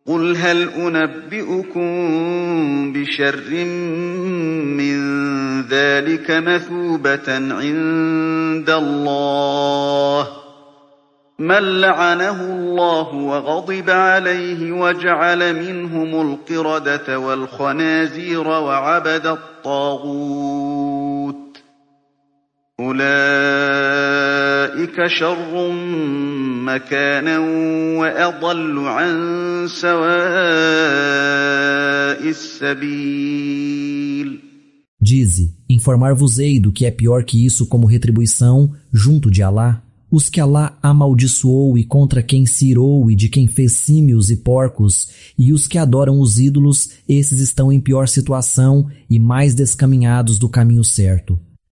قُلْ هَلْ أُنَبِّئُكُم بِشَرٍّ مِّن ذَٰلِكَ مَثُوبَةً عِندَ اللَّهِ مَن لَّعَنَهُ اللَّهُ وَغَضِبَ عَلَيْهِ وَجَعَلَ مِنْهُمُ الْقِرَدَةَ وَالْخَنَازِيرَ وَعَبَدَ الطَّاغُوتَ ۚ أُولَٰئِكَ شَرٌّ مَّكَانًا وَأَضَلُّ عَن سَوَاءِ السَّبِيلِ. Dize, informar-vos-ei do que é pior que isso como retribuição junto de Alá. Os que Alá amaldiçoou e contra quem se irou e de quem fez símios e porcos, e os que adoram os ídolos, esses estão em pior situação e mais descaminhados do caminho certo.